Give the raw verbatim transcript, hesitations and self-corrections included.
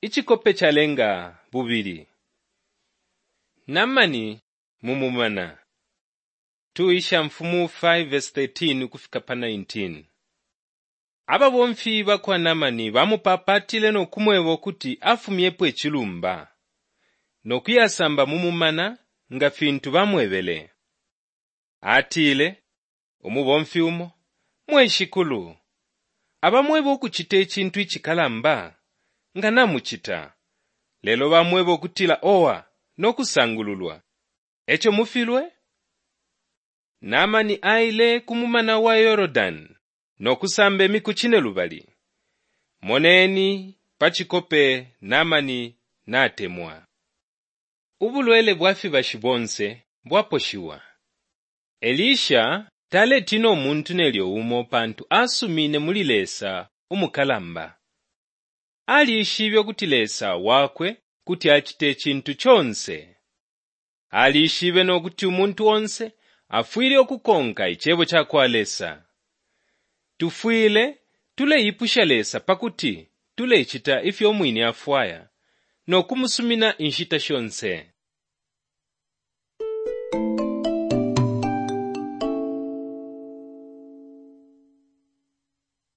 Icikope calenga bubili. Namani mu mumana. two Ishamfumu five verse thirteen ukufika pa nineteen. Ababomfi ba kwa Namani bamupaapaatile no kumweba ukuti afumyepo icilumba no kuyasamba mu mumana nga fintu bamwebele. Atile, umubomfi umo, Mwe shikulu, abamweba ukucita icintu icikalamba, nga namucita, lelo bamweba ukutila owa no kusangululwa, e co mufilwe? Naamani aile ku mumana wa Yordani no kusamba imiku cinelubali. Moneni pa cikope Naamani natemwa. Ubulwele bwa fibashi bonse bwaposhiwa. Elisha taletiina umuntu nelyo umo pantu asumiine muli Lesa umukalamba. Alishibe ukuti Lesa wakwe kuti acita icintu conse. Alishibe no kuti umuntu onse afwile ukukonka icebo ca kwa Lesa. Tufwile tuleipusha Lesa pa kuti tulecita ifyo umwine afwaya no kumusumina inshita shonse.